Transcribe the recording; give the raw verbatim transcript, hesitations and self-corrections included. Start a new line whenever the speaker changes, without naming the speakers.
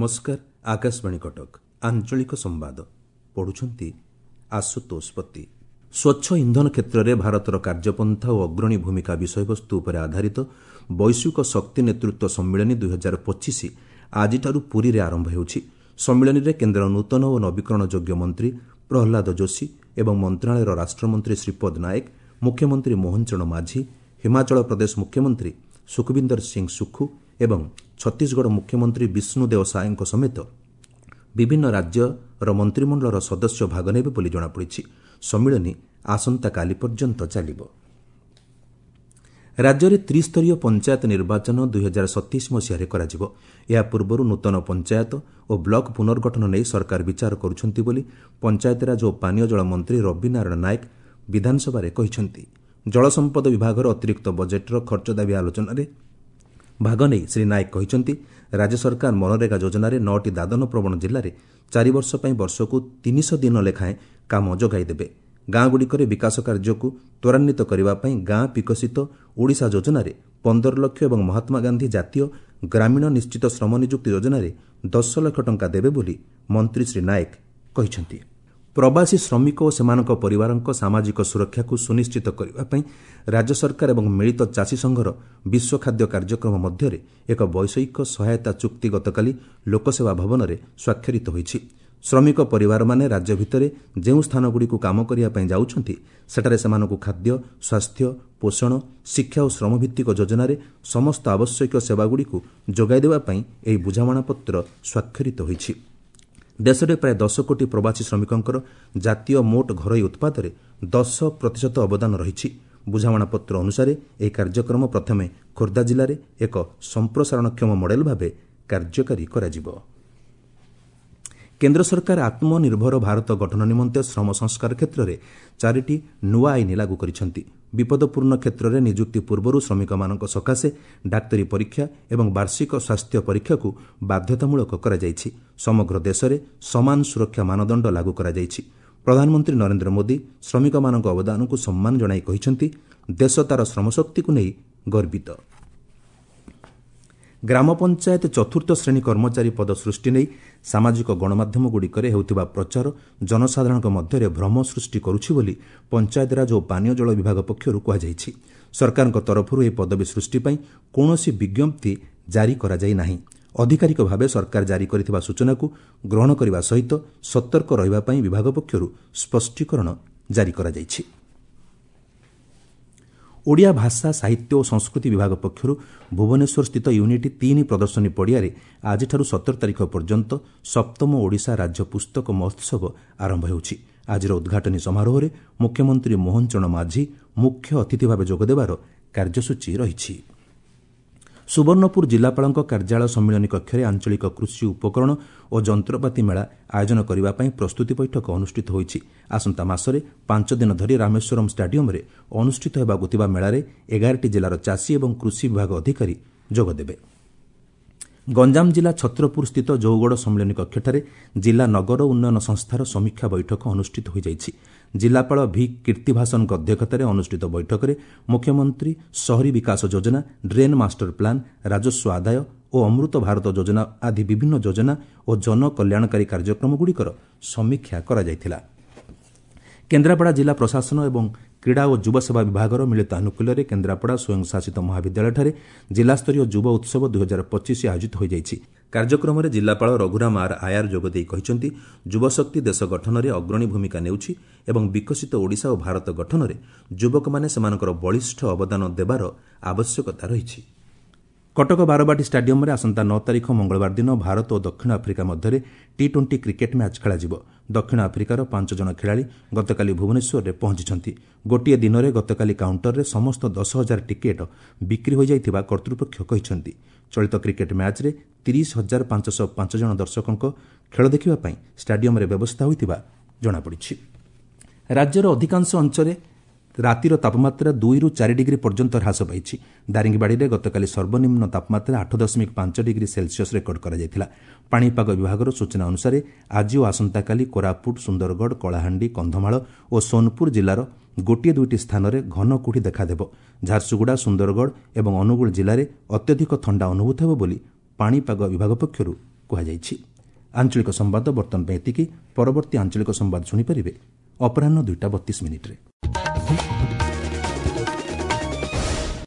ନମସ୍କାର, ଆକାଶବାଣୀ କଟକ, ଆଞ୍ଚଳିକ ସମ୍ବାଦ ପଢୁଛନ୍ତି ଆଶୁତୋଷ ପତି। ସ୍ୱଚ୍ଛ ଇନ୍ଧନ କ୍ଷେତ୍ରରେ ଭାରତର କାର୍ଯ୍ୟପନ୍ଥା ଓ ଅଗ୍ରଣୀ ଭୂମିକା ବିଷୟବସ୍ତୁ ଉପରେ ଆଧାରିତ ବୈଶ୍ୱିକ ଶକ୍ତି ନେତୃତ୍ୱ ସମ୍ମିଳନୀ ଦୁଇହଜାର ପଚିଶ ଆଜିଠାରୁ ପୁରୀରେ ଆରମ୍ଭ ହେଉଛି। ସମ୍ମିଳନୀରେ କେନ୍ଦ୍ର ନୂତନ ଓ ନବୀକରଣ ଯୋଗ୍ୟ ମନ୍ତ୍ରୀ ପ୍ରହ୍ଲାଦ ଯୋଶୀ ଏବଂ ମନ୍ତ୍ରଣାଳୟର ରାଷ୍ଟ୍ରମନ୍ତ୍ରୀ ଶ୍ରୀପଦ ନାୟକ, ମୁଖ୍ୟମନ୍ତ୍ରୀ ମୋହନ ଚରଣ ମାଝୀ, ହିମାଚଳ ପ୍ରଦେଶ ମୁଖ୍ୟମନ୍ତ୍ରୀ ସୁଖବିନ୍ଦର ସିଂ ସୁଖୁ ଏବଂ ଛତିଶଗଡ଼ ମୁଖ୍ୟମନ୍ତ୍ରୀ ବିଷ୍ଣୁଦେଓ ସାଏଙ୍କ ସମେତ ବିଭିନ୍ନ ରାଜ୍ୟର ମନ୍ତ୍ରିମଣ୍ଡଳର ସଦସ୍ୟ ଭାଗ ନେବେ ବୋଲି ଜଣାପଡ଼ିଛି। ସମ୍ମିଳନୀ ଆସନ୍ତାକାଲି ପର୍ଯ୍ୟନ୍ତ ଚାଲିବ। ରାଜ୍ୟରେ ତ୍ରିସ୍ତରୀୟ ପଞ୍ଚାୟତ ନିର୍ବାଚନ ଦୁଇହଜାର ସତେଇଶ ମସିହାରେ କରାଯିବ। ଏହା ପୂର୍ବରୁ ନୂତନ ପଞ୍ଚାୟତ ଓ ବ୍ଲକ ପୁନର୍ଗଠନ ନେଇ ସରକାର ବିଚାର କରୁଛନ୍ତି ବୋଲି ପଞ୍ଚାୟତିରାଜ ଓ ପାନୀୟ ଜଳ ମନ୍ତ୍ରୀ ରବିନାରାୟଣ ନାୟକ ବିଧାନସଭାରେ କହିଛନ୍ତି। ଜଳସମ୍ପଦ ବିଭାଗର ଅତିରିକ୍ତ ବଜେଟ୍ର ଖର୍ଚ୍ଚ ଦାବି ଆଲୋଚନାରେ ଭାଗ ନେଇ ଶ୍ରୀ ନାୟକ କହିଛନ୍ତି, ରାଜ୍ୟ ସରକାର ମନରେଗା ଯୋଜନାରେ ନଅଟି ଦାଦନ ପ୍ରବଣ ଜିଲ୍ଲାରେ ଚାରିବର୍ଷ ପାଇଁ ବର୍ଷକୁ ତିନିଶହ ଦିନ ଲେଖାଏଁ କାମ ଯୋଗାଇ ଦେବେ। ଗାଁଗୁଡ଼ିକରେ ବିକାଶ କାର୍ଯ୍ୟକୁ ତ୍ୱରାନ୍ୱିତ କରିବା ପାଇଁ ଗାଁ ବିକଶିତ ଓଡ଼ିଶା ଯୋଜନାରେ ପନ୍ଦର ଲକ୍ଷ ଏବଂ ମହାତ୍ମାଗାନ୍ଧୀ ଜାତୀୟ ଗ୍ରାମୀଣ ନିଶ୍ଚିତ ଶ୍ରମ ନିଯୁକ୍ତି ଯୋଜନାରେ ଦଶ ଲକ୍ଷ ଟଙ୍କା ଦେବେ ବୋଲି ମନ୍ତ୍ରୀ ଶ୍ରୀ ନାୟକ କହିଛନ୍ତି। ପ୍ରବାସୀ ଶ୍ରମିକ ଓ ସେମାନଙ୍କ ପରିବାରଙ୍କ ସାମାଜିକ ସୁରକ୍ଷାକୁ ସୁନିଶ୍ଚିତ କରିବା ପାଇଁ ରାଜ୍ୟ ସରକାର ଏବଂ ମିଳିତ ଚାଷୀ ସଂଘର ବିଶ୍ୱ ଖାଦ୍ୟ କାର୍ଯ୍ୟକ୍ରମ ମଧ୍ୟରେ ଏକ ବୈଷୟିକ ସହାୟତା ଚୁକ୍ତି ଗତକାଲି ଲୋକସେବା ଭବନରେ ସ୍ୱାକ୍ଷରିତ ହୋଇଛି। ଶ୍ରମିକ ପରିବାରମାନେ ରାଜ୍ୟ ଭିତରେ ଯେଉଁ ସ୍ଥାନଗୁଡ଼ିକୁ କାମ କରିବା ପାଇଁ ଯାଉଛନ୍ତି, ସେଠାରେ ସେମାନଙ୍କୁ ଖାଦ୍ୟ, ସ୍ୱାସ୍ଥ୍ୟ, ପୋଷଣ, ଶିକ୍ଷା ଓ ଶ୍ରମଭିତ୍ତିକ ଯୋଜନାରେ ସମସ୍ତ ଆବଶ୍ୟକୀୟ ସେବାଗୁଡ଼ିକୁ ଯୋଗାଇ ଦେବା ପାଇଁ ଏହି ବୁଝାମଣାପତ୍ର ସ୍ୱାକ୍ଷରିତ ହୋଇଛି। ଦେଶରେ ପ୍ରାୟ ଦଶ କୋଟି ପ୍ରବାସୀ ଶ୍ରମିକଙ୍କର ଜାତୀୟ ମୋଟ ଘରୋଇ ଉତ୍ପାଦରେ ଦଶ ପ୍ରତିଶତ ଅବଦାନ ରହିଛି। ବୁଝାମଣାପତ୍ର ଅନୁସାରେ ଏହି କାର୍ଯ୍ୟକ୍ରମ ପ୍ରଥମେ ଖୋର୍ଦ୍ଧା ଜିଲ୍ଲାରେ ଏକ ସମ୍ପ୍ରସାରଣକ୍ଷମ ମଡେଲ ଭାବେ କାର୍ଯ୍ୟକାରୀ କରାଯିବ। କେନ୍ଦ୍ର ସରକାର ଆତ୍ମନିର୍ଭର ଭାରତ ଗଠନ ନିମନ୍ତେ ଶ୍ରମ ସଂସ୍କାର କ୍ଷେତ୍ରରେ ଚାରିଟି ନୂଆ ଆଇନ ଲାଗୁ କରିଛନ୍ତି। ବିପଦପୂର୍ଣ୍ଣ କ୍ଷେତ୍ରରେ ନିଯୁକ୍ତି ପୂର୍ବରୁ ଶ୍ରମିକମାନଙ୍କ ସକାଶେ ଡାକ୍ତରୀ ପରୀକ୍ଷା ଏବଂ ବାର୍ଷିକ ସ୍ୱାସ୍ଥ୍ୟ ପରୀକ୍ଷାକୁ ବାଧ୍ୟତାମୂଳକ କରାଯାଇଛି। ସମଗ୍ର ଦେଶରେ ସମାନ ସୁରକ୍ଷା ମାନଦଣ୍ଡ ଲାଗୁ କରାଯାଇଛି। ପ୍ରଧାନମନ୍ତ୍ରୀ ନରେନ୍ଦ୍ର ମୋଦି ଶ୍ରମିକମାନଙ୍କ ଅବଦାନକୁ ସମ୍ମାନ ଜଣାଇ କହିଛନ୍ତି, ଦେଶ ତା'ର ଶ୍ରମଶକ୍ତିକୁ ନେଇ ଗର୍ବିତ। ଗ୍ରାମ ପଞ୍ଚାୟତ ଚତୁର୍ଥ ଶ୍ରେଣୀ କର୍ମଚାରୀ ପଦ ସୃଷ୍ଟି ନେଇ ସାମାଜିକ ଗଣମାଧ୍ୟମଗୁଡ଼ିକରେ ହେଉଥିବା ପ୍ରଚାର ଜନସାଧାରଣଙ୍କ ମଧ୍ୟରେ ଭ୍ରମ ସୃଷ୍ଟି କରୁଛି ବୋଲି ପଞ୍ଚାୟତିରାଜ ଓ ପାନୀୟ ଜଳ ବିଭାଗ ପକ୍ଷରୁ କୁହାଯାଇଛି। ସରକାରଙ୍କ ତରଫରୁ ଏହି ପଦବୀ ସୃଷ୍ଟି ପାଇଁ କୌଣସି ବିଜ୍ଞପ୍ତି ଜାରି କରାଯାଇ ନାହିଁ। ଆଧିକାରିକ ଭାବେ ସରକାର ଜାରି କରିଥିବା ସୂଚନାକୁ ଗ୍ରହଣ କରିବା ସହିତ ସତର୍କ ରହିବା ପାଇଁ ବିଭାଗ ପକ୍ଷରୁ ସ୍ପଷ୍ଟୀକରଣ ଜାରି କରାଯାଇଛି। ଓଡ଼ିଆ ଭାଷା, ସାହିତ୍ୟ ଓ ସଂସ୍କୃତି ବିଭାଗ ପକ୍ଷରୁ ଭୁବନେଶ୍ୱରସ୍ଥିତ ୟୁନିଟ୍ ତିନି ପ୍ରଦର୍ଶନୀ ପଡ଼ିଆରେ ଆଜିଠାରୁ ସତର ତାରିଖ ପର୍ଯ୍ୟନ୍ତ ସପ୍ତମ ଓଡ଼ିଶା ରାଜ୍ୟ ପୁସ୍ତକ ମହୋତ୍ସବ ଆରମ୍ଭ ହେଉଛି। ଆଜିର ଉଦ୍ଘାଟନୀ ସମାରୋହରେ ମୁଖ୍ୟମନ୍ତ୍ରୀ ମୋହନ ଚରଣ ମାଝୀ ମୁଖ୍ୟ ଅତିଥି ଭାବେ ଯୋଗଦେବାର କାର୍ଯ୍ୟସୂଚୀ ରହିଛି। ସୁବର୍ଣ୍ଣପୁର ଜିଲ୍ଲାପାଳଙ୍କ କାର୍ଯ୍ୟାଳୟ ସମ୍ମିଳନୀ କକ୍ଷରେ ଆଞ୍ଚଳିକ କୃଷି ଉପକରଣ ଓ ଯନ୍ତ୍ରପାତି ମେଳା ଆୟୋଜନ କରିବା ପାଇଁ ପ୍ରସ୍ତୁତି ବୈଠକ ଅନୁଷ୍ଠିତ ହୋଇଛି। ଆସନ୍ତା ମାସରେ ପାଞ୍ଚ ଦିନ ଧରି ରାମେଶ୍ୱରମ୍ ଷ୍ଟାଡିୟମ୍ରେ ଅନୁଷ୍ଠିତ ହେବାକୁ ଥିବା ମେଳାରେ ଏଗାରଟି ଜିଲ୍ଲାର ଚାଷୀ ଏବଂ କୃଷି ବିଭାଗ ଅଧିକାରୀ ଯୋଗଦେବେ। ଗଞ୍ଜାମ ଜିଲ୍ଲା ଛତ୍ରପୁର ସ୍ଥିତ ଜଉଗଡ଼ ସମ୍ମିଳନୀ କକ୍ଷଠାରେ ଜିଲ୍ଲା ନଗର ଉନ୍ନୟନ ସଂସ୍ଥାର ସମୀକ୍ଷା ବୈଠକ ଅନୁଷ୍ଠିତ ହୋଇଯାଇଛି। ଜିଲ୍ଲାପାଳ ଭି କୀର୍ତ୍ତିଭାସନଙ୍କ ଅଧ୍ୟକ୍ଷତାରେ ଅନୁଷ୍ଠିତ ବୈଠକରେ ମୁଖ୍ୟମନ୍ତ୍ରୀ ସହରୀ ବିକାଶ ଯୋଜନା, ଡ୍ରେନ୍ ମାଷ୍ଟର ପ୍ଲାନ୍, ରାଜସ୍ୱ ଆଦାୟ ଓ ଅମୃତ ଭାରତ ଯୋଜନା ଆଦି ବିଭିନ୍ନ ଯୋଜନା ଓ ଜନକଲ୍ୟାଣକାରୀ କାର୍ଯ୍ୟକ୍ରମଗୁଡ଼ିକର ସମୀକ୍ଷା କରାଯାଇଥିଲା। କେନ୍ଦ୍ରାପଡ଼ା ଜିଲ୍ଲା ପ୍ରଶାସନ ଏବଂ କ୍ରୀଡ଼ା ଓ ଯୁବସେବା ବିଭାଗର ମିଳିତ ଆନୁକୂଲ୍ୟରେ କେନ୍ଦ୍ରାପଡ଼ା ସ୍ୱୟଂଶାସିତ ମହାବିଦ୍ୟାଳୟଠାରେ ଜିଲ୍ଲାସ୍ତରୀୟ ଯୁବ ଉତ୍ସବ ଦୁଇହଜାର ପଚିଶ ଆୟୋଜିତ ହୋଇଯାଇଛି। କାର୍ଯ୍ୟକ୍ରମରେ ଜିଲ୍ଲାପାଳ ରଘୁରାମ ଆର୍ ଆୟାର ଯୋଗଦେଇ କହିଛନ୍ତି, ଯୁବଶକ୍ତି ଦେଶ ଗଠନରେ ଅଗ୍ରଣୀ ଭୂମିକା ନେଉଛି ଏବଂ ବିକଶିତ ଓଡ଼ିଶା ଓ ଭାରତ ଗଠନରେ ଯୁବକମାନେ ସେମାନଙ୍କର ବଳିଷ୍ଠ ଅବଦାନ ଦେବାର ଆବଶ୍ୟକତା ରହିଛି। କଟକ ବାରବାଟୀ ଷ୍ଟାଡିୟମ୍ରେ ଆସନ୍ତା ନଅ ତାରିଖ ମଙ୍ଗଳବାର ଦିନ ଭାରତ ଓ ଦକ୍ଷିଣ ଆଫ୍ରିକା ମଧ୍ୟରେ ଟି ଟ୍ୱେଣ୍ଟି କ୍ରିକେଟ୍ ମ୍ୟାଚ୍ ଖେଳାଯିବ। ଦକ୍ଷିଣ ଆଫ୍ରିକାର ପାଞ୍ଚ ଜଣ ଖେଳାଳି ଗତକାଲି ଭୁବନେଶ୍ୱରରେ ପହଞ୍ଚିଛନ୍ତି। ଗୋଟିଏ ଦିନରେ ଗତକାଲି କାଉଣ୍ଟରରେ ସମସ୍ତ ଦଶ ହଜାର ଟିକେଟ୍ ବିକ୍ରି ହୋଇଯାଇଥିବା କର୍ତ୍ତୃପକ୍ଷ କହିଛନ୍ତି। ଚଳିତ କ୍ରିକେଟ୍ ମ୍ୟାଚ୍ରେ ତିରିଶ ହଜାର ପାଞ୍ଚଶହ ପାଞ୍ଚ ଜଣ ଦର୍ଶକଙ୍କ ଖେଳ ଦେଖିବା ପାଇଁ ଷ୍ଟାଡିୟମ୍ରେ ବ୍ୟବସ୍ଥା ହୋଇଥିବା ଜଣାପଡ଼ିଛି। ରାଜ୍ୟର ଅଧିକାଂଶ ଅଞ୍ଚଳରେ ରାତିର ତାପମାତ୍ରା ଦୁଇରୁ ଚାରି ଡିଗ୍ରୀ ପର୍ଯ୍ୟନ୍ତ ହ୍ରାସ ପାଇଛି। ଦାରିଙ୍ଗବାଡ଼ିରେ ଗତକାଲି ସର୍ବନିମ୍ନ ତାପମାତ୍ରା ଆଠ ଦଶମିକ ପାଞ୍ଚ ଡିଗ୍ରୀ ସେଲସିୟସ୍ ରେକର୍ଡ କରାଯାଇଥିଲା। ପାଣିପାଗ ବିଭାଗର ସୂଚନା ଅନୁସାରେ ଆଜି ଓ ଆସନ୍ତାକାଲି କୋରାପୁଟ, ସୁନ୍ଦରଗଡ଼, କଳାହାଣ୍ଡି, କନ୍ଧମାଳ ଓ ସୋନପୁର ଜିଲ୍ଲାର ଗୋଟିଏ ଦୁଇଟି ସ୍ଥାନରେ ଘନ କୁହୁଡ଼ି ଦେଖାଦେବ। ଝାରସୁଗୁଡ଼ା, ସୁନ୍ଦରଗଡ଼ ଏବଂ ଅନୁଗୁଳ ଜିଲ୍ଲାରେ ଅତ୍ୟଧିକ ଥଣ୍ଡା ଅନୁଭୂତ ହେବ ବୋଲି ପାଣିପାଗ ବିଭାଗ ପକ୍ଷରୁ କୁହାଯାଇଛି। ଆଞ୍ଚଳିକ ସମ୍ବାଦ ବର୍ତ୍ତମାନ ପାଇଁ ଏତିକି। ପରବର୍ତ୍ତୀ ଆଞ୍ଚଳିକ ସମ୍ବାଦ ଶୁଣିପାରିବେ ଅପରାହ୍ନ ଦୁଇଟା ବତିଶ ମିନିଟ୍ରେ।